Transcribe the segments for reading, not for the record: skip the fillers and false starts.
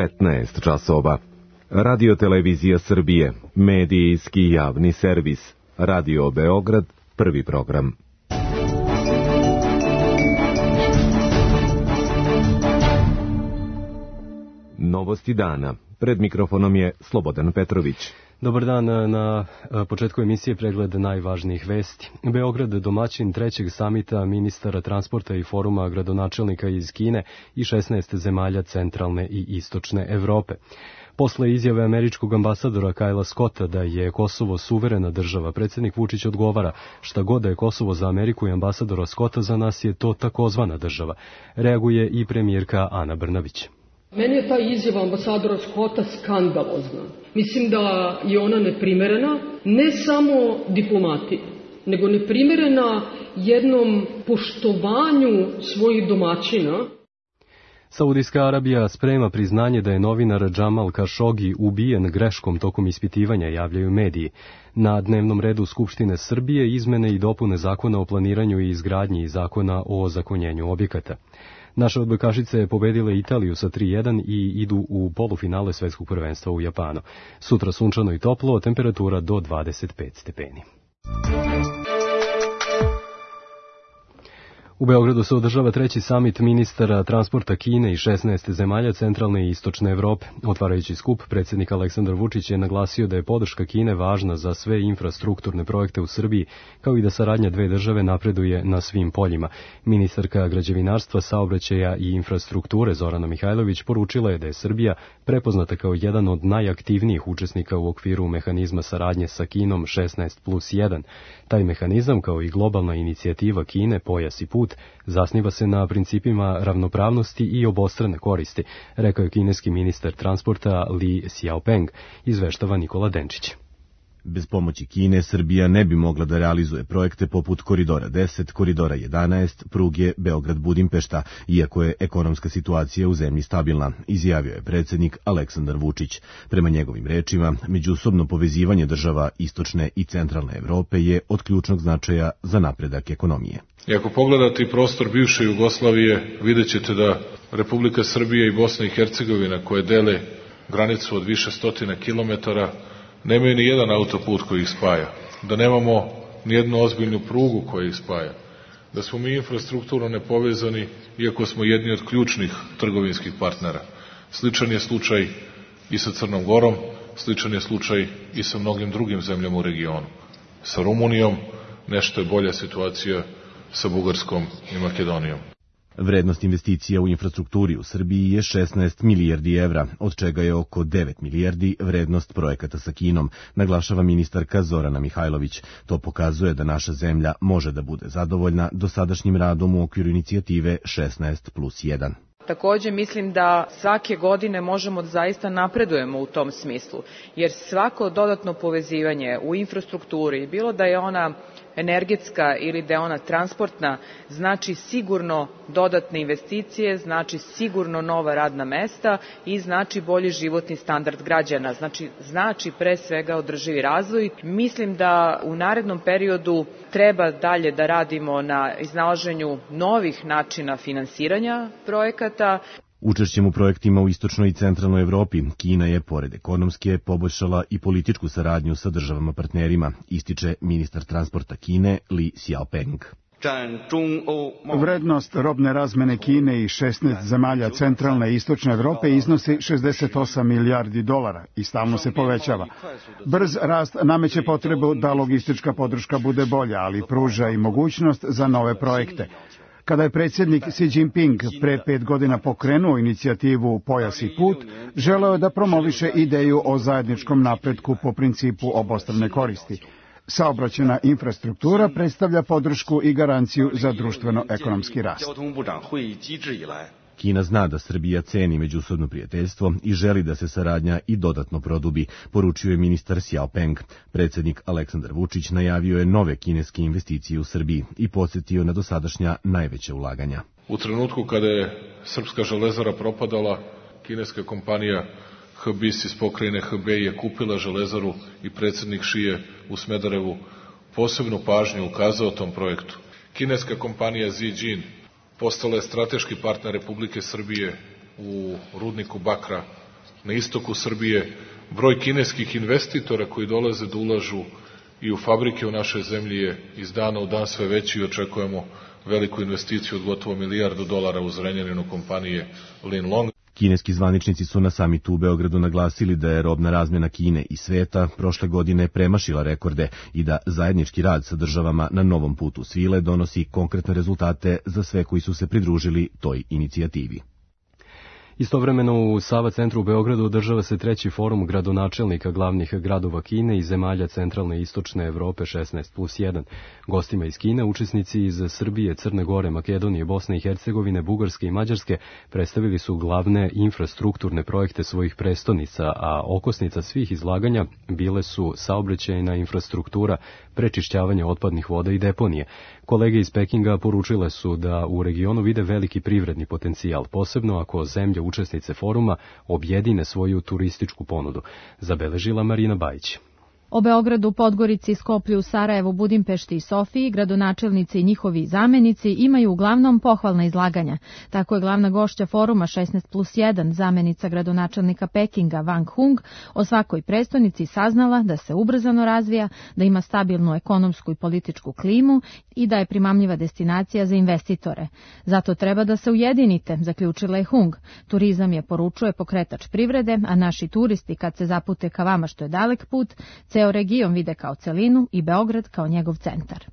15 časova. Radio Televizija Srbije, medijski javni servis. Radio Beograd, prvi program. Novosti dana. Pred mikrofonom je Slobodan Petrović. Dobar dan, na početku emisije pregled najvažnijih vesti. Beograd domaćin trećeg samita ministara transporta i foruma gradonačelnika iz Kine i 16 zemalja centralne i istočne Evrope. Posle izjave američkog ambasadora Kajla Scotta da je Kosovo suverena država, predsjednik Vučić odgovara: šta god da je Kosovo za Ameriku i ambasadora Scotta, za nas je to takozvana država. Reaguje i premijerka Ana Brnabić. Meni je ta izjava ambasadora Scotta skandalozna. Mislim da je ona neprimerena, ne samo diplomatiji, nego neprimerena jednom poštovanju svojih domaćina. Saudijska Arabija sprema priznanje da je novinar Džamal Kašogi ubijen greškom tokom ispitivanja, javljaju mediji. Na dnevnom redu Skupštine Srbije izmene i dopune zakona o planiranju i izgradnji i zakona o ozakonjenju objekata. Naše odbojkašice pobedile Italiju sa 3:1 i idu u polufinale svetskog prvenstva u Japanu. Sutra sunčano i toplo, temperatura do 25 stepeni. U Beogradu se održava treći samit ministara transporta Kine i 16 zemalja centralne i istočne Evrope. Otvarajući skup, predsjednik Aleksandar Vučić je naglasio da je podrška Kine važna za sve infrastrukturne projekte u Srbiji, kao i da saradnja dve države napreduje na svim poljima. Ministarka građevinarstva, saobraćaja i infrastrukture Zorana Mihajlović poručila je da je Srbija prepoznata kao jedan od najaktivnijih učesnika u okviru mehanizma saradnje sa Kinom 16+1. Taj mehanizam, kao i globalna inicijativa Kine Pojas i put, zasniva se na principima ravnopravnosti i obostrane koristi, rekao je kineski ministar transporta Li Xiaopeng, izveštava Nikola Denčić. Bez pomoći Kine, Srbija ne bi mogla da realizuje projekte poput Koridora 10, Koridora 11, pruge Beograd-Budimpešta, iako je ekonomska situacija u zemlji stabilna, izjavio je predsjednik Aleksandar Vučić. Prema njegovim rečima, međusobno povezivanje država istočne i centralne Evrope je od ključnog značaja za napredak ekonomije. I ako pogledate prostor bivše Jugoslavije, vidjet ćete da Republika Srbija i Bosna i Hercegovina, koje dele granicu od više stotina kilometara, nemaju ni jedan autoput koji ih spaja, da nemamo ni jednu ozbiljnu prugu koja ih spaja, da smo mi infrastrukturno nepovezani, iako smo jedni od ključnih trgovinskih partnera. Sličan je slučaj i sa Crnom Gorom, sličan je slučaj i sa mnogim drugim zemljama u regionu. Sa Rumunijom nešto je bolja situacija, sa Bugarskom i Makedonijom. Vrednost investicija u infrastrukturi u Srbiji je 16 milijardi evra, od čega je oko 9 milijardi vrednost projekata sa Kinom, naglašava ministarka Zorana Mihajlović. To pokazuje da naša zemlja može da bude zadovoljna dosadašnjim radom u okviru inicijative 16+1. Takođe mislim da svake godine možemo da zaista napredujemo u tom smislu, jer svako dodatno povezivanje u infrastrukturi, bilo da je ona energetska ili da je ona transportna, znači sigurno dodatne investicije, znači sigurno nova radna mesta i znači bolji životni standard građana, znači pre svega održivi razvoj. Mislim da u narednom periodu treba dalje da radimo na iznalaženju novih načina finansiranja projekata. Učešćem u projektima u istočnoj i centralnoj Evropi, Kina je, pored ekonomske, poboljšala i političku saradnju sa državama partnerima, ističe ministar transporta Kine Li Xiaopeng. Vrednost robne razmene Kine i 16 zemalja centralne i istočne Evrope iznosi 68 milijardi dolara i stalno se povećava. Brz rast nameće potrebu da logistička podrška bude bolja, ali pruža i mogućnost za nove projekte. Kada je predsjednik Xi Jinping pre 5 godina pokrenuo inicijativu Pojas i put, želeo je da promoviše ideju o zajedničkom napretku po principu obostrane koristi. Saobraćajna infrastruktura predstavlja podršku i garanciju za društveno-ekonomski rast. Kina zna da Srbija ceni međusobno prijateljstvo i želi da se saradnja i dodatno produbi, poručio je ministar Xiaopeng. Predsjednik Aleksandar Vučić najavio je nove kineske investicije u Srbiji i podsjetio na dosadašnja najveća ulaganja. U trenutku kada je srpska železara propadala, kineska kompanija HBIS iz pokrajine Hebei je kupila železaru i predsjednik Xi je u Smederevu posebnu pažnju ukazao tom projektu. Kineska kompanija Zijin postala je strateški partner Republike Srbije u rudniku bakra na istoku Srbije, broj kineskih investitora koji dolaze da ulažu i u fabrike u našoj zemlji je iz dana u dan sve veći i očekujemo veliku investiciju od gotovo $1 milijardu u Zrenjaninu kompanije Linlong. Kineski zvaničnici su na samitu u Beogradu naglasili da je robna razmjena Kine i sveta prošle godine premašila rekorde i da zajednički rad sa državama na novom putu svile donosi konkretne rezultate za sve koji su se pridružili toj inicijativi. Istovremeno u Sava centru u Beogradu održava se 3. forum gradonačelnika glavnih gradova Kine i zemalja centralne i istočne Evrope 16+1. Gostima iz Kine, učesnici iz Srbije, Crne Gore, Makedonije, Bosne i Hercegovine, Bugarske i Mađarske predstavili su glavne infrastrukturne projekte svojih prestonica, a okosnica svih izlaganja bile su saobraćajna infrastruktura, prečišćavanje otpadnih voda i deponije. Kolege iz Pekinga poručile su da u regionu vide veliki privredni potencijal, posebno ako zemlje učesnice foruma objedine svoju turističku ponudu, zabeležila Marina Bajić. O Beogradu, Podgorici, Skoplju, Sarajevu, Budimpešti i Sofiji gradonačelnici i njihovi zamenici imaju uglavnom pohvalna izlaganja. Tako je glavna gošća foruma 16+1, zamenica gradonačelnika Pekinga Wang Hung, o svakoj prestonici saznala da se ubrzano razvija, da ima stabilnu ekonomsku i političku klimu i da je primamljiva destinacija za investitore. Zato treba da se ujedinite, zaključila je Hung. Turizam je, poručuje, pokretač privrede, a naši turisti kad se zapute ka vama što je dalek put, ceo region vide kao celinu i Beograd kao njegov centar.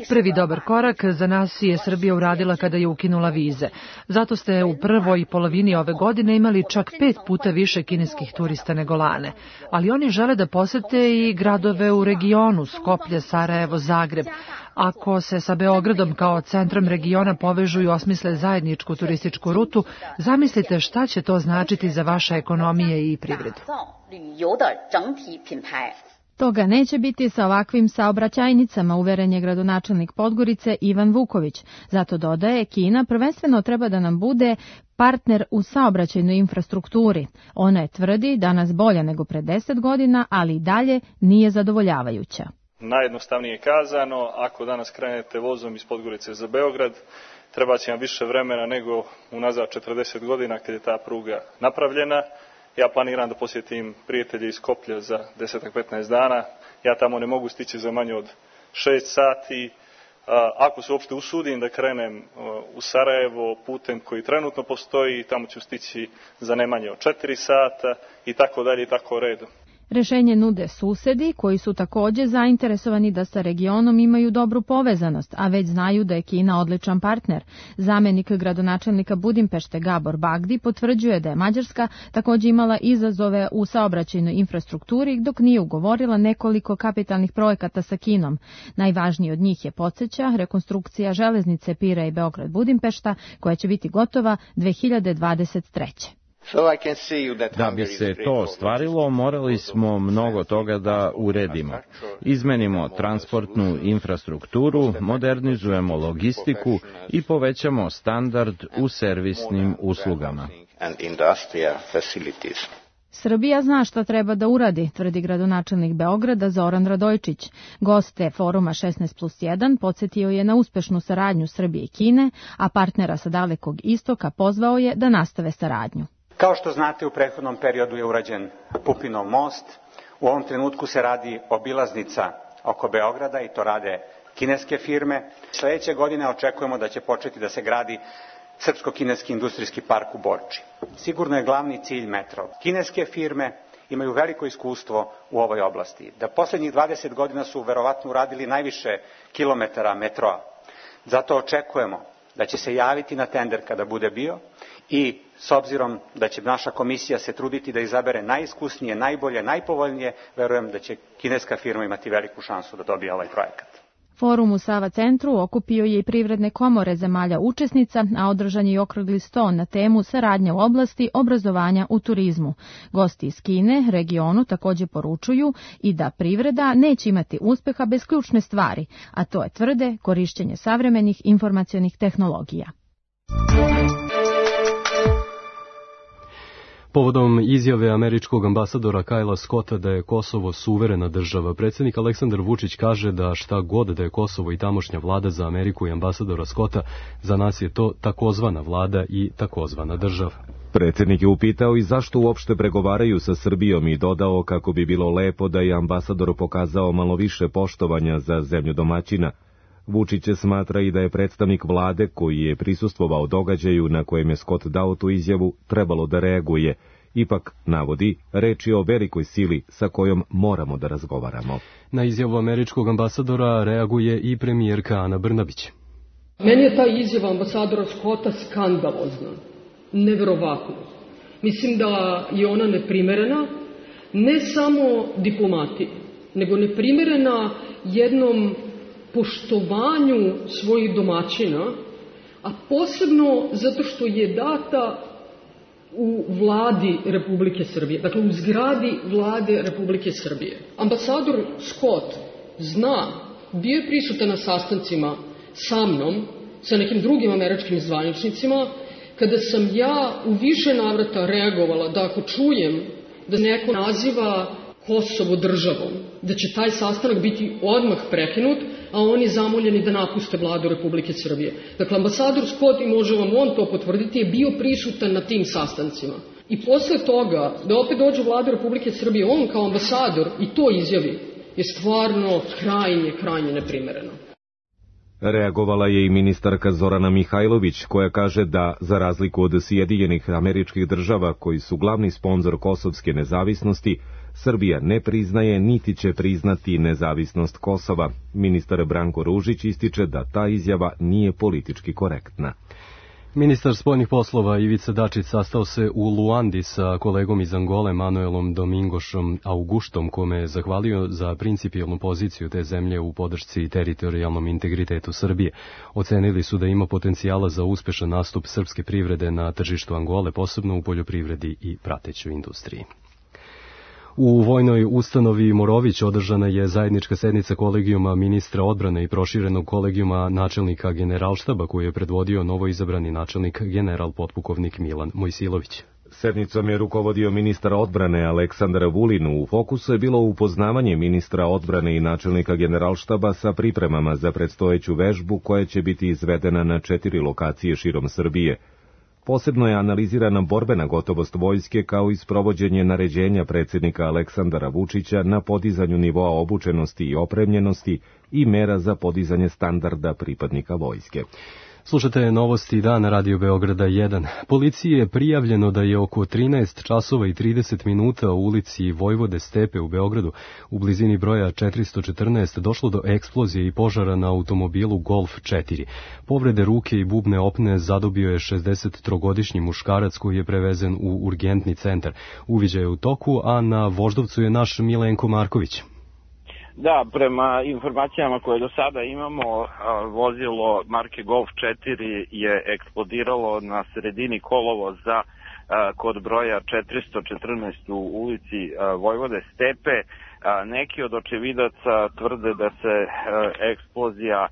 Prvi dobar korak za nas je Srbija uradila kada je ukinula vize. Zato ste u prvoj polovini ove godine imali čak 5 puta više kineskih turista nego lane. Ali oni žele da posete i gradove u regionu, Skoplje, Sarajevo, Zagreb. Ako se sa Beogradom kao centrom regiona povežu i osmisle zajedničku turističku rutu, zamislite šta će to značiti za vaše ekonomije i privredu. Toga neće biti sa ovakvim saobraćajnicama, uveren je gradonačelnik Podgorice Ivan Vuković. Zato dodaje, Kina prvenstveno treba da nam bude partner u saobraćajnoj infrastrukturi. Ona je, tvrdi, danas bolja nego pre 10 godina, ali i dalje nije zadovoljavajuća. Najjednostavnije kazano, ako danas krenete vozom iz Podgorice za Beograd, treba će vam više vremena nego unazad 40 godina kad je ta pruga napravljena. Ja planiram da posjetim prijatelje iz Skoplja za 10-15 dana. Ja tamo ne mogu stići za manje od 6 sati. Ako se uopšte usudim da krenem u Sarajevo putem koji trenutno postoji, tamo ću stići za ne manje od 4 sata i tako dalje i tako redom. Rešenje nude susedi koji su takođe zainteresovani da sa regionom imaju dobru povezanost, a već znaju da je Kina odličan partner. Zamenik gradonačelnika Budimpešte Gabor Bagdi potvrđuje da je Mađarska takođe imala izazove u saobraćajnoj infrastrukturi dok nije ugovorila nekoliko kapitalnih projekata sa Kinom. Najvažniji od njih je, podsjeća, rekonstrukcija železnice Pira i Beograd Budimpešta koja će biti gotova 2023. Da bi se to ostvarilo, morali smo mnogo toga da uredimo. Izmenimo transportnu infrastrukturu, modernizujemo logistiku i povećamo standard u servisnim uslugama. Srbija zna šta treba da uradi, tvrdi gradonačelnik Beograda Zoran Radojčić. Goste foruma 16+1 podsjetio je na uspešnu saradnju Srbije i Kine, a partnera sa Dalekog istoka pozvao je da nastave saradnju. Kao što znate, u prethodnom periodu je urađen Pupinov most. U ovom trenutku se radi obilaznica oko Beograda i to rade kineske firme. Sledeće godine očekujemo da će početi da se gradi srpsko-kineski industrijski park u Borči. Sigurno je glavni cilj metro. Kineske firme imaju veliko iskustvo u ovoj oblasti. Da poslednjih 20 godina su verovatno uradili najviše kilometara metroa. Zato očekujemo da će se javiti na tender kada bude bio i s obzirom da će naša komisija se truditi da izabere najiskusnije, najbolje, najpovoljnije, verujem da će kineska firma imati veliku šansu da dobije ovaj projekat. Forum u Sava centru okupio je i privredne komore zemalja učesnica, a održan je i okrugli sto na temu saradnja u oblasti obrazovanja u turizmu. Gosti iz Kine regionu takođe poručuju i da privreda neće imati uspeha bez ključne stvari, a to je, tvrde, korišćenje savremenih informacionih tehnologija. Povodom izjave američkog ambasadora Kajla Scotta da je Kosovo suverena država, predsjednik Aleksandar Vučić kaže da šta god da je Kosovo i tamošnja vlada za Ameriku i ambasadora Scotta, za nas je to takozvana vlada i takozvana država. Predsjednik je upitao i zašto uopšte pregovaraju sa Srbijom i dodao kako bi bilo lepo da je ambasador pokazao malo više poštovanja za zemlju domaćina. Vučić smatra i da je predstavnik vlade koji je prisustvovao događaju na kojem je Scott dao tu izjavu trebalo da reaguje. Ipak, navodi, reč je o velikoj sili sa kojom moramo da razgovaramo. Na izjavu američkog ambasadora reaguje i premijerka Ana Brnabić. Meni je ta izjava ambasadora Scotta skandalozna, neverovatno. Mislim da je ona neprimerena, ne samo diplomati, nego neprimerena jednom poštovanju svojih domaćina, a posebno zato što je data u vladi Republike Srbije, dakle u zgradi vlade Republike Srbije. Ambasador Scott zna, bio je prisutan na sastancima sa mnom, sa nekim drugim američkim zvaničnicima, kada sam ja u više navrata reagovala da ako čujem da neko naziva Kosovo državom, da će taj sastanak biti odmah prekinut, a oni zamoljeni da napuste vladu Republike Srbije. Dakle, ambasador Scott, i može vam on to potvrditi, je bio prisutan na tim sastancima. I posle toga, da opet dođe vlada Republike Srbije, on kao ambasador i to izjavi, je stvarno krajnje neprimereno. Reagovala je i ministarka Zorana Mihajlović, koja kaže da, za razliku od Sjedinjenih Američkih Država, koji su glavni sponzor kosovske nezavisnosti, Srbija ne priznaje niti će priznati nezavisnost Kosova. Ministar Branko Ružić ističe da ta izjava nije politički korektna. Ministar spoljnih poslova Ivica Dačić sastao se u Luandi sa kolegom iz Angole Manuelom Domingošom Augustom, kome je zahvalio za principijelnu poziciju te zemlje u podršci i teritorijalnom integritetu Srbije. Ocenili su da ima potencijala za uspešan nastup srpske privrede na tržištu Angole, posebno u poljoprivredi i pratećoj industriji. U vojnoj ustanovi Morović održana je zajednička sednica kolegijuma ministra odbrane i proširenog kolegijuma načelnika Generalštaba, koju je predvodio novoizabrani načelnik general potpukovnik Milan Mojsilović. Sednicom je rukovodio ministar odbrane Aleksandar Vulin. U fokusu je bilo upoznavanje ministra odbrane i načelnika Generalštaba sa pripremama za predstojeću vežbu koja će biti izvedena na 4 lokacije širom Srbije. Posebno je analizirana borbena gotovost vojske kao i sprovođenje naređenja predsjednika Aleksandara Vučića na podizanju nivoa obučenosti i opremljenosti i mera za podizanje standarda pripadnika vojske. Slušate novosti dana Radio Beograda 1. Policiji je prijavljeno da je oko 13 časova i 30 minuta u ulici Vojvode Stepe u Beogradu, u blizini broja 414, došlo do eksplozije i požara na automobilu Golf 4. Povrede ruke i bubne opne zadobio je 63-godišnji muškarac koji je prevezen u urgentni centar. Uviđaj je u toku, a na Voždovcu je naš Milenko Marković. Da, prema informacijama koje do sada imamo, vozilo marke Golf 4 je eksplodiralo na sredini kolovoza kod broja 414 u ulici Vojvode Stepe. Neki od očevidaca tvrde da se eksplozija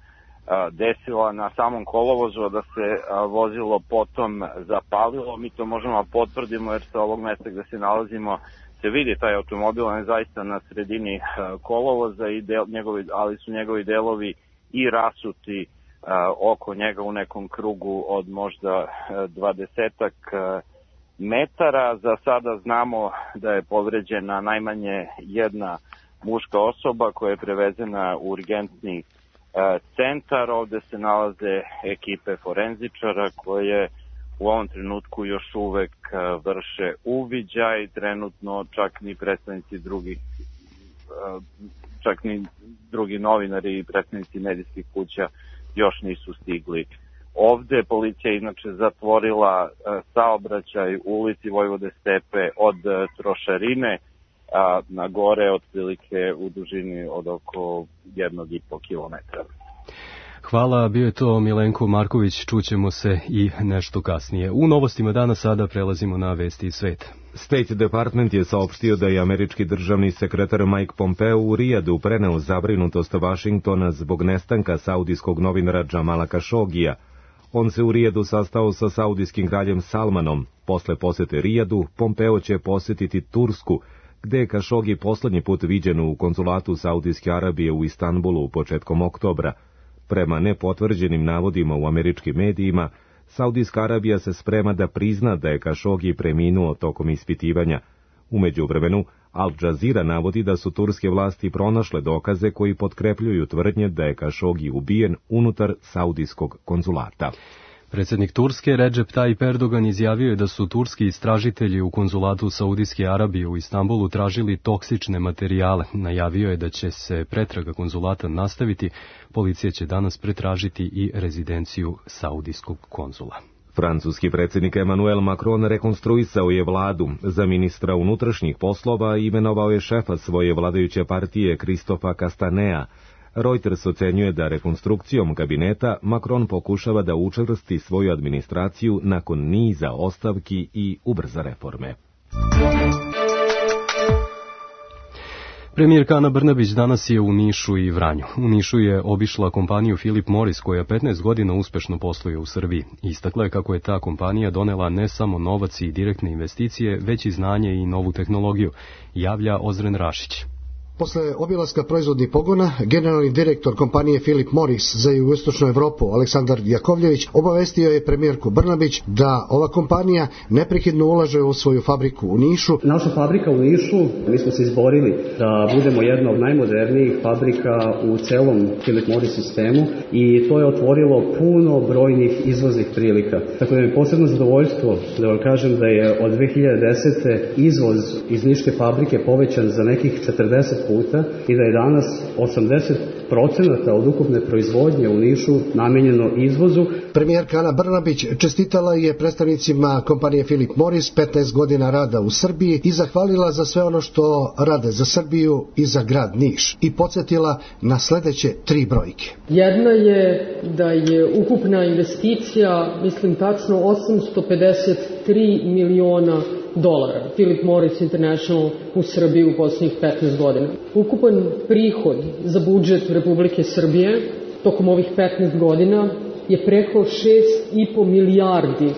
desila na samom kolovozu, da se vozilo potom zapalilo. Mi to možemo potvrdimo jer sa ovog mesta gde se nalazimo se vidi taj automobil, on je zaista na sredini kolovoza, ali su njegovi delovi i rasuti oko njega u nekom krugu od možda 20-ak metara. Za sada znamo da je povređena najmanje jedna muška osoba koja je prevezena u urgentni centar. Ovde se nalaze ekipe forenzičara koje u ovom trenutku još uvek vrše uviđaj, trenutno čak ni predstavnici drugi novinari i predstavnici medijskih kuća još nisu stigli. Ovde policija inače zatvorila saobraćaj u ulici Vojvode Stepe od Trošarine na gore, otprilike u dužini od oko 1,5 kilometra. Hvala, bio je to Milenko Marković, čućemo se i nešto kasnije. U novostima dana sada prelazimo na vesti iz sveta. State Department je saopštio da je američki državni sekretar Mike Pompeo u Rijadu preneo zabrinutost Vašingtona zbog nestanka saudijskog novinara Džamala Kašogija. On se u Rijadu sastao sa saudijskim kraljem Salmanom. Posle posete Rijadu, Pompeo će posetiti Tursku, gde je Kašogi poslednji put viđen u konzulatu Saudijske Arabije u Istanbulu početkom oktobra. Prema nepotvrđenim navodima u američkim medijima, Saudijska Arabija se sprema da prizna da je Kašogi preminuo tokom ispitivanja. U međuvremenu, Al Jazeera navodi da su turske vlasti pronašle dokaze koji potkrepljuju tvrdnje da je Kašogi ubijen unutar saudijskog konzulata. Predsjednik Turske Recep Tayyip Erdogan izjavio je da su turski istražitelji u konzulatu Saudijske Arabije u Istanbulu tražili toksične materijale. Najavio je da će se pretraga konzulata nastaviti. Policija će danas pretražiti i rezidenciju saudijskog konzula. Francuski predsjednik Emmanuel Macron rekonstruisao je vladu. Za ministra unutrašnjih poslova imenovao je šefa svoje vladajuće partije Christopha Castanea. Reuters ocenjuje da rekonstrukcijom kabineta Macron pokušava da učvrsti svoju administraciju nakon niza ostavki i ubrza reforme. Premijerka Ana Brnabić danas je u Nišu i Vranju. U Nišu je obišla kompaniju Philip Morris koja 15 godina uspešno posluje u Srbiji. Istakla je kako je ta kompanija donela ne samo novac i direktne investicije, već i znanje i novu tehnologiju, javlja Ozren Rašić. Posle obilaska proizvodnih pogona, generalni direktor kompanije Philip Morris za jugoistočnu Evropu, Aleksandar Jakovljević, obavestio je premijerku Brnabić da ova kompanija neprekidno ulaže u svoju fabriku u Nišu. Naša fabrika u Nišu, mi smo se izborili da budemo jedna od najmodernijih fabrika u celom Philip Morris sistemu i to je otvorilo puno brojnih izvoznih prilika. Tako da mi je posebno zadovoljstvo da vam kažem da je od 2010. izvoz iz niške fabrike povećan za nekih 40 puta i da je danas 80% od ukupne proizvodnje u Nišu namenjeno izvozu. Premijerka Ana Brnabić čestitala je predstavnicima kompanije Philip Morris 15 godina rada u Srbiji i zahvalila za sve ono što rade za Srbiju i za grad Niš i podsjetila na sledeće 3 brojke. Jedna je da je ukupna investicija, mislim tačno, $853 miliona Philip Morris International u Srbiji u posljednjih 15 godina. Ukupan prihod za budžet Republike Srbije tokom ovih 15 godina je preko $6,5 milijardi.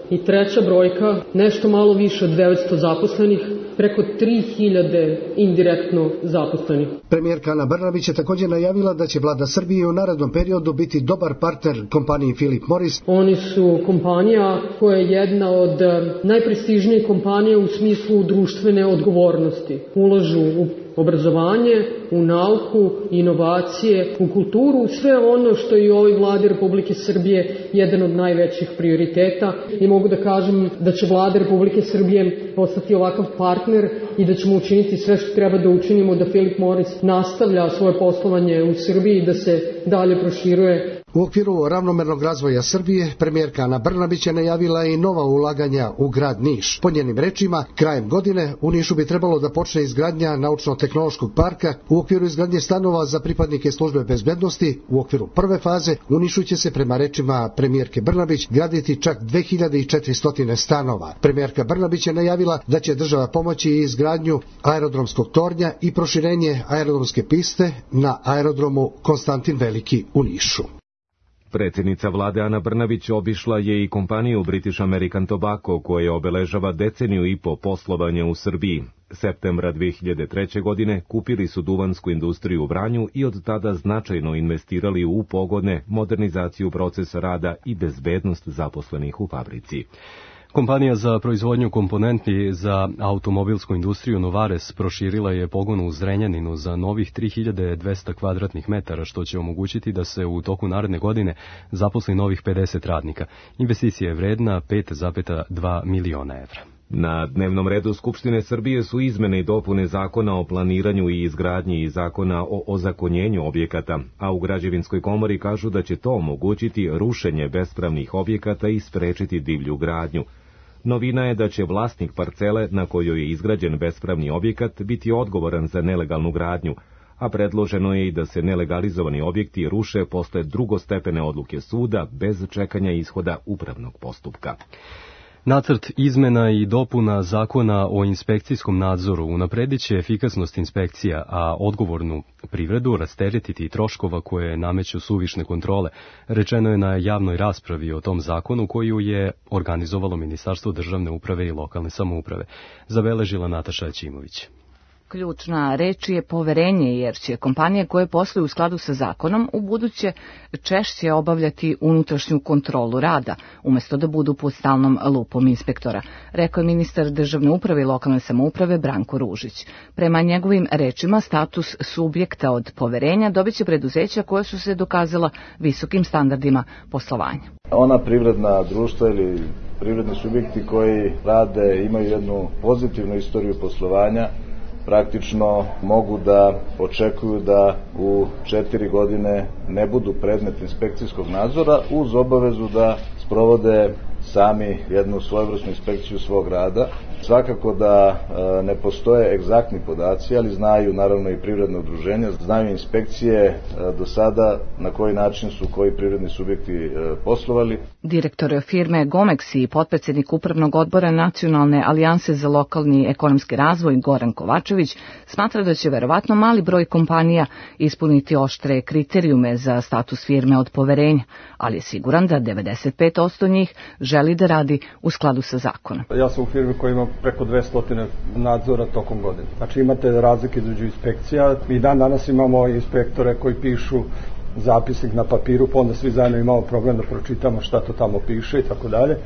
I treća brojka, nešto malo više od 900 zaposlenih, preko 3000 indirektno zaposlenih. Premijerka Ana Brnabić je također najavila da će vlada Srbije u narednom periodu biti dobar partner kompaniji Philip Morris. Oni su kompanija koja je jedna od najprestižnijih kompanija u smislu društvene odgovornosti. Ulažu u obrazovanje, u nauku, inovacije, u kulturu, sve ono što je u ovoj vladi Republike Srbije jedan od najvećih prioriteta i mogu da kažem da će vlada Republike Srbije postati ovakav partner i da ćemo učiniti sve što treba da učinimo da Philip Morris nastavlja svoje poslovanje u Srbiji i da se dalje proširuje. U okviru ravnomernog razvoja Srbije, premijerka Ana Brnabić je najavila i nova ulaganja u grad Niš. Po njenim rečima, krajem godine u Nišu bi trebalo da počne izgradnja naučno-tehnološkog parka u okviru izgradnje stanova za pripadnike službe bezbednosti. U okviru prve faze u Nišu će se, prema rečima premijerke Brnabić, graditi čak 2400 stanova. Premijerka Brnabić je najavila da će država pomoći i izgradnju aerodromskog tornja i proširenje aerodromske piste na aerodromu Konstantin Veliki u Nišu. Predsjednica vlade Ana Brnabić obišla je i kompaniju British American Tobacco koja obeležava deceniju i po poslovanja u Srbiji. Septembra 2003. godine kupili su duvansku industriju u Vranju i od tada značajno investirali u pogone, modernizaciju procesa rada i bezbednost zaposlenih u fabrici. Kompanija za proizvodnju komponenti za automobilsku industriju Novares proširila je pogon u Zrenjaninu za novih 3200 kvadratnih metara, što će omogućiti da se u toku naredne godine zaposli novih 50 radnika. Investicija je vredna 5,2 miliona evra. Na dnevnom redu Skupštine Srbije su izmene i dopune Zakona o planiranju i izgradnji i Zakona o ozakonjenju objekata, a u Građevinskoj komori kažu da će to omogućiti rušenje bespravnih objekata i sprečiti divlju gradnju. Novina je da će vlasnik parcele na kojoj je izgrađen bespravni objekat biti odgovoran za nelegalnu gradnju, a predloženo je i da se nelegalizovani objekti ruše posle drugostepene odluke suda bez čekanja ishoda upravnog postupka. Nacrt izmena i dopuna Zakona o inspekcijskom nadzoru unapredit će efikasnost inspekcija, a odgovornu privredu rasteretiti troškova koje nameću suvišne kontrole, rečeno je na javnoj raspravi o tom zakonu koju je organizovalo Ministarstvo državne uprave i lokalne samouprave. Zabeležila Nataša Ćimović. Ključna reč je poverenje, jer će kompanije koje posluju u skladu sa zakonom u buduće češće obavljati unutrašnju kontrolu rada, umjesto da budu pod stalnom lupom inspektora, rekao je ministar državne uprave i lokalne samouprave Branko Ružić. Prema njegovim rečima, status subjekta od poverenja dobit će preduzeća koja su se dokazala visokim standardima poslovanja. Ona privredna društva ili privredni subjekti koji rade, imaju jednu pozitivnu istoriju poslovanja, praktično mogu da očekuju da u 4 godine ne budu predmet inspekcijskog nadzora uz obavezu da sprovode sami jednu svojevrsnu inspekciju svog rada. Svakako da ne postoje egzaktni podaci, ali znaju naravno i privredne udruženja, znaju inspekcije do sada na koji način su koji privredni subjekti poslovali. Direktor firme Gomex i potpredsjednik upravnog odbora Nacionalne alijanse za lokalni ekonomski razvoj Goran Kovačević smatra da će verovatno mali broj kompanija ispuniti oštre kriterijume za status firme od poverenja, ali je siguran da 95% njih želi da radi u skladu sa zakonom. Ja sam u firmi koja ima preko 200 nadzora tokom godine. Znači imate razlike između inspekcija. Mi danas imamo inspektore koji pišu zapisnik na papiru, pa onda svi zajedno imamo problem da pročitamo šta to tamo piše i tako dalje.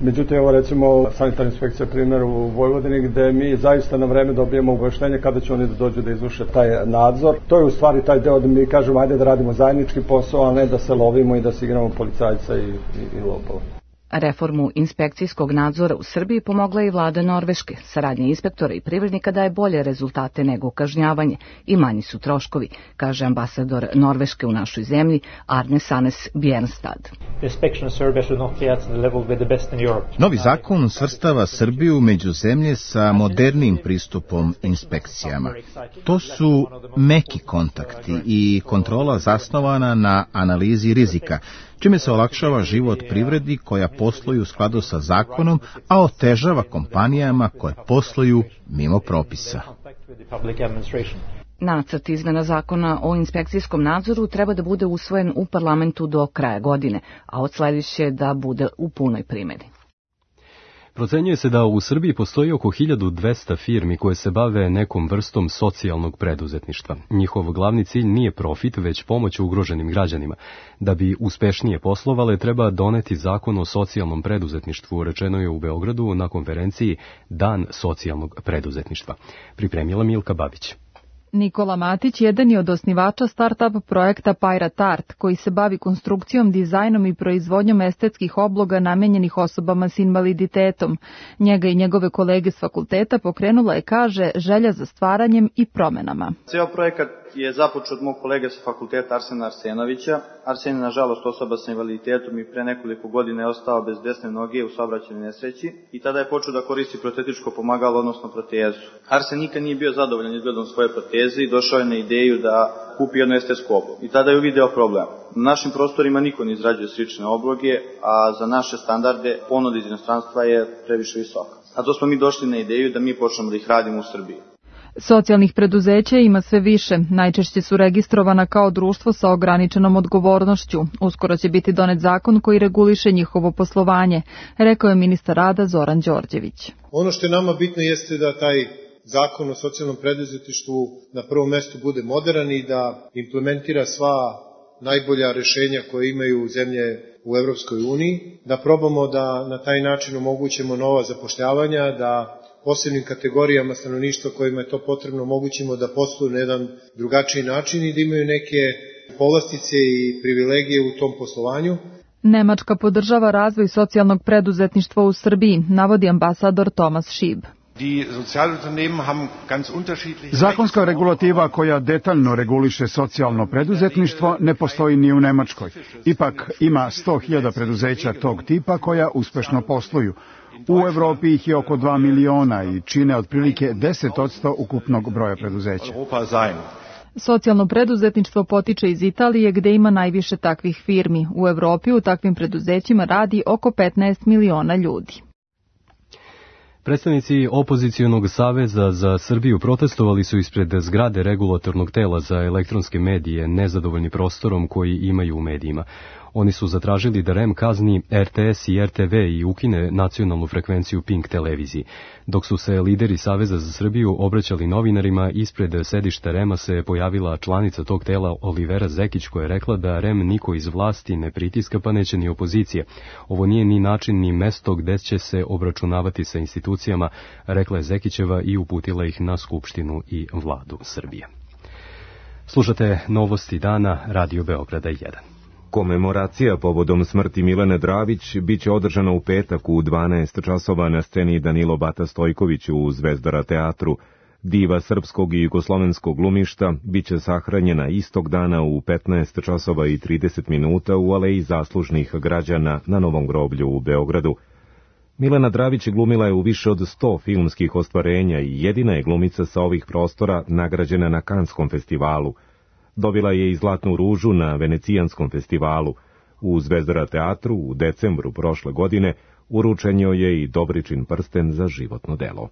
Međutim, evo recimo sanitarna inspekcija primjer u Vojvodini gdje mi zaista na vreme dobijemo obaveštenje kada će oni da dođu da izvrše taj nadzor. To je u stvari taj deo da mi kažemo ajde da radimo zajednički posao, a ne da se lovimo i da se igramo policajca i lopova. Reformu inspekcijskog nadzora u Srbiji pomogla i vlada Norveške. Saradnja inspektora i privrednika daje bolje rezultate nego kažnjavanje i manji su troškovi, kaže ambasador Norveške u našoj zemlji Arne Sanes Bjernstad. Novi zakon svrstava Srbiju među zemlje sa modernim pristupom inspekcijama. To su meki kontakti i kontrola zasnovana na analizi rizika, čime se olakšava život privredi koja posluju u skladu sa zakonom, a otežava kompanijama koje posluju mimo propisa. Nacrt izmena zakona o inspekcijskom nadzoru treba da bude usvojen u parlamentu do kraja godine, a od sledeće da bude u punoj primjeni. Procenjuje se da u Srbiji postoji oko 1200 firmi koje se bave nekom vrstom socijalnog preduzetništva. Njihov glavni cilj nije profit, već pomoć ugroženim građanima. Da bi uspešnije poslovale, treba doneti zakon o socijalnom preduzetništvu, rečeno je u Beogradu na konferenciji Dan socijalnog preduzetništva. Pripremila Milka Babić. Nikola Matić jedan je od osnivača start-up projekta Pirate Art, koji se bavi konstrukcijom, dizajnom i proizvodnjom estetskih obloga namenjenih osobama s invaliditetom. Njega i njegove kolege s fakulteta pokrenula je, kaže, želja za stvaranjem i promenama. Ceo projekat je započeo od mog kolege sa fakulteta Arsena Arsenovića. Arsen je nažalost osoba sa invaliditetom i pre nekoliko godina je ostao bez desne noge u saobraćajnoj nesreći i tada je počeo da koristi protetičko pomagalo, odnosno protezu. Arsen nikad nije bio zadovoljan izgledom svoje proteze i došao je na ideju da kupi jednu estetsku oblogu. I tada je uvideo problem. Na našim prostorima niko ne izrađuje slične obloge, a za naše standarde ponuda iz inostranstva je previše visoka. Zato smo mi došli na ideju da mi počnemo da ih radimo u Srbiji. Socijalnih preduzeća ima sve više, najčešće su registrovana kao društvo sa ograničenom odgovornošću. Uskoro će biti donet zakon koji reguliše njihovo poslovanje, rekao je ministar rada Zoran Đorđević. Ono što je nama bitno jeste da taj zakon o socijalnom preduzetništvu na prvom mestu bude moderan i da implementira sva najbolja rešenja koje imaju zemlje u Evropskoj uniji, da probamo da na taj način omogućimo nova zapošljavanja, da posebnim kategorijama stanovništva kojima je to potrebno omogućimo da posluju na jedan drugačiji način i da imaju neke povlastice i privilegije u tom poslovanju. Nemačka podržava razvoj socijalnog preduzetništva u Srbiji, navodi ambasador Tomas Šib. Zakonska regulativa koja detaljno reguliše socijalno preduzetništvo ne postoji ni u Nemačkoj. Ipak ima 100.000 preduzeća tog tipa koja uspešno posluju. U Evropi ih je oko 2 miliona i čine otprilike 10% ukupnog broja preduzeća. Socijalno preduzetništvo potiče iz Italije gde ima najviše takvih firmi. U Evropi u takvim preduzećima radi oko 15 miliona ljudi. Predstavnici opozicionog saveza za Srbiju protestovali su ispred zgrade regulatornog tela za elektronske medije, nezadovoljni prostorom koji imaju u medijima. Oni su zatražili da REM kazni RTS i RTV i ukine nacionalnu frekvenciju Pink televiziji. Dok su se lideri Saveza za Srbiju obraćali novinarima, ispred sedišta REM-a se pojavila članica tog tela Olivera Zekić koja je rekla da REM niko iz vlasti ne pritiska pa neće ni opozicije. Ovo nije ni način ni mesto gde će se obračunavati sa institucijama, rekla je Zekićeva i uputila ih na Skupštinu i Vladu Srbije. Slušate Novosti dana, Radio Beograda 1. Komemoracija povodom smrti Milene Dravić biće održana u petak u 12 časova na sceni Danilo Bata Stojković u Zvezdara teatru. Diva srpskog i jugoslovenskog glumišta biće sahranjena istog dana u 15 časova i 30 minuta u Aleji zaslužnih građana na Novom groblju u Beogradu. Milena Dravić glumila je u više od 100 filmskih ostvarenja i jedina je glumica sa ovih prostora nagrađena na Kanskom festivalu. Dobila je i Zlatnu ružu na Venecijanskom festivalu. U Zvezdara teatru u decembru prošle godine uručen joj je i Dobričin prsten za životno delo.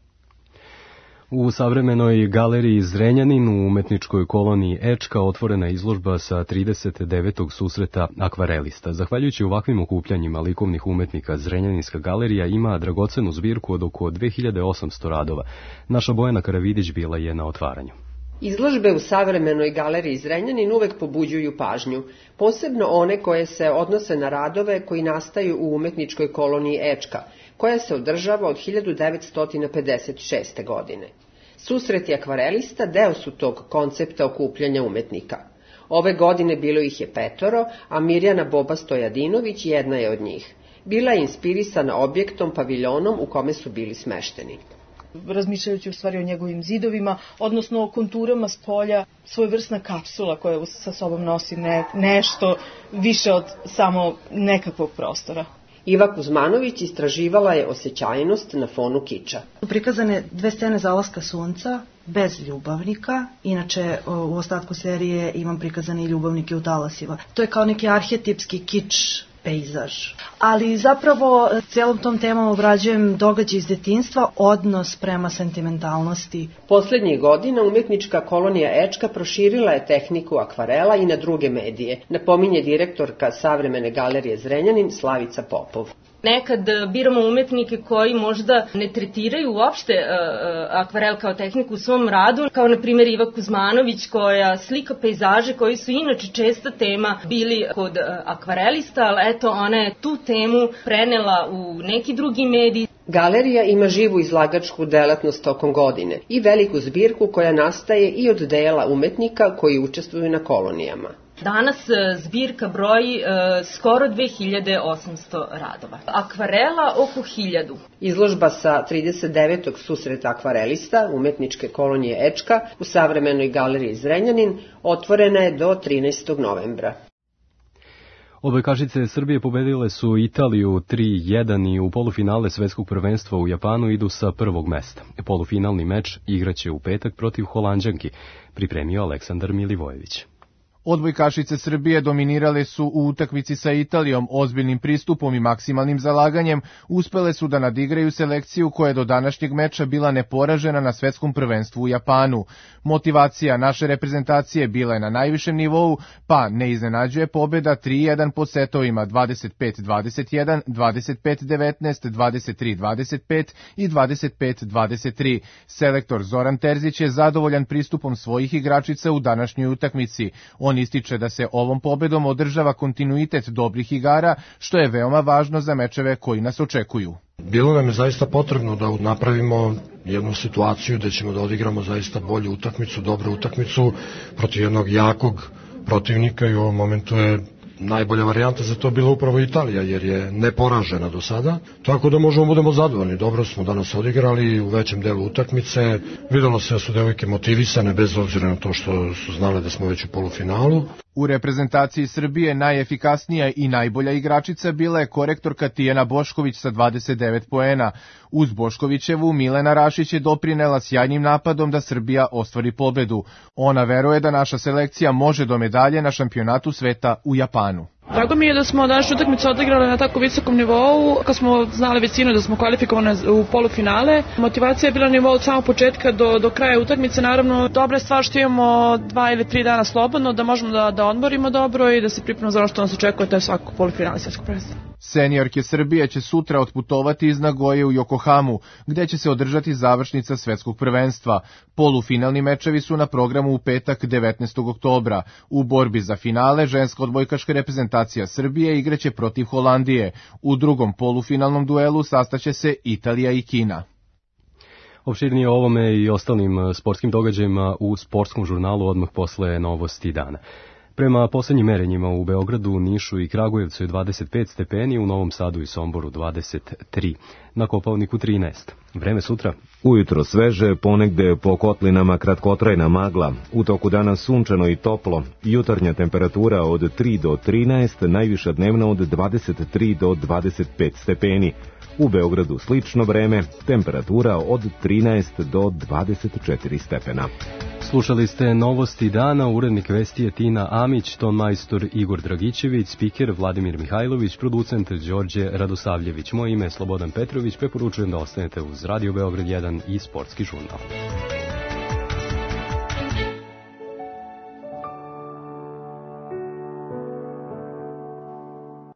U savremenoj galeriji Zrenjanin u umetničkoj koloniji Ečka otvorena izložba sa 39. susreta akvarelista. Zahvaljujući ovakvim okupljanjima likovnih umetnika, Zrenjaninska galerija ima dragocenu zbirku od oko 2800 radova. Naša Bojana Karavidić bila je na otvaranju. Izložbe u savremenoj galeriji Zrenjanin uvek pobuđuju pažnju, posebno one koje se odnose na radove koji nastaju u umetničkoj koloniji Ečka, koja se održava od 1956. godine. Susreti akvarelista deo su tog koncepta okupljanja umetnika. Ove godine bilo ih je 5, a Mirjana Boba Stojadinović jedna je od njih. Bila je inspirisana objektom, paviljonom u kome su bili smešteni. Razmišljajući u stvari o njegovim zidovima, odnosno o konturama s polja, svojevrsna kapsula koja sa sobom nosi nešto više od samo nekakvog prostora. Iva Kuzmanović istraživala je osjećajnost na fonu kiča. Prikazane 2 scene zalaska sunca, bez ljubavnika, inače u ostatku serije imam prikazane i ljubavnike u talasima. To je kao neki arhetipski kič pejzaž. Ali zapravo celom tom temom obrađujem događaj iz detinjstva, odnos prema sentimentalnosti. Poslednjih godina umetnička kolonija Ečka proširila je tehniku akvarela i na druge medije, napominje direktorka Savremene galerije Zrenjanin Slavica Popov. Nekad biramo umetnike koji možda ne tretiraju uopšte akvarel kao tehniku u svom radu, kao na primjer Iva Kuzmanović koja slika pejzaže koji su inače česta tema bili kod akvarelista, ali eto ona je tu temu prenela u neki drugi medij. Galerija ima živu izlagačku delatnost tokom godine i veliku zbirku koja nastaje i od dela umetnika koji učestvuju na kolonijama. Danas zbirka broji skoro 2800 radova. Akvarela oko 1000. Izložba sa 39. susreta akvarelista umetničke kolonije Ečka u savremenoj galeriji Zrenjanin otvorena je do 13. novembra. Odbojkašice Srbije pobedile su Italiju 3-1 i u polufinale svetskog prvenstva u Japanu idu sa prvog mesta. Polufinalni meč igraće u petak protiv Holanđanki, pripremio Aleksandar Milivojević. Odbojkašice Srbije dominirale su u utakmici sa Italijom, ozbiljnim pristupom i maksimalnim zalaganjem uspele su da nadigraju selekciju koja je do današnjeg meča bila neporažena na svetskom prvenstvu u Japanu. Motivacija naše reprezentacije bila je na najvišem nivou, pa ne iznenađuje pobeda 3-1 po setovima 25-21, 25-19, 23-25 i 25-23. Selektor Zoran Terzić je zadovoljan pristupom svojih igračica u današnjoj utakmici. On ističe da se ovom pobedom održava kontinuitet dobrih igara, što je veoma važno za mečeve koji nas očekuju. Bilo nam je zaista potrebno da napravimo jednu situaciju da ćemo da odigramo zaista bolju utakmicu, dobru utakmicu protiv jednog jakog protivnika i u ovom momentu je najbolja varijanta za to bila upravo Italija, jer je neporažena do sada, tako da možemo budemo zadovoljni. Dobro smo danas odigrali u većem delu utakmice, videlo se da su devojke motivisane bez obzira na to što su znale da smo već u polufinalu. U reprezentaciji Srbije najefikasnija i najbolja igračica bila je korektorka Tijana Bošković sa 29 poena. Uz Boškovićevu, Milena Rašić je doprinela sjajnim napadom da Srbija ostvari pobedu. Ona veruje da naša selekcija može do medalje na šampionatu sveta u Japanu. Drago mi je da smo današnju utakmicu odigrali na tako visokom nivou, kad smo znali većinu da smo kvalifikovane u polufinale. Motivacija je bila na nivou od samog početka do kraja utakmice. Naravno, dobra je stvar što imamo 2 ili 3 dana slobodno, da možemo da odmorimo dobro i da se pripremimo za ono što nas očekuje, to je svako polufinale svjetskog prvenstva. Seniorke Srbije će sutra otputovati iz Nagoje u Yokohamu, gde će se održati završnica svetskog prvenstva. Polufinalni mečevi su na programu u petak 19. oktobra. U borbi za finale ženska odbojkaška reprezentacija Srbije igraće protiv Holandije. U drugom polufinalnom duelu sastaće se Italija i Kina. Opširnije o ovome i ostalim sportskim događajima u sportskom žurnalu odmah posle novosti dana. Prema poslednjim merenjima u Beogradu, Nišu i Kragujevcu je 25 stepeni, u Novom Sadu i Somboru 23, na Kopaoniku 13. Vreme sutra? Ujutro sveže, ponegde po kotlinama kratkotrajna magla, u toku dana sunčano i toplo, jutarnja temperatura od 3 do 13, najviša dnevna od 23 do 25 stepeni. U Beogradu slično vreme, temperatura od 13 do 24 stepena. Slušali ste novosti dana, urednik vesti je Tina Amić, ton majstor Igor Dragićević, spiker Vladimir Mihajlović, producent Đorđe Radosavljević. Moje ime je Slobodan Petrović, preporučujem da ostanete uz Radio Beograd 1 i Sportski žurnal.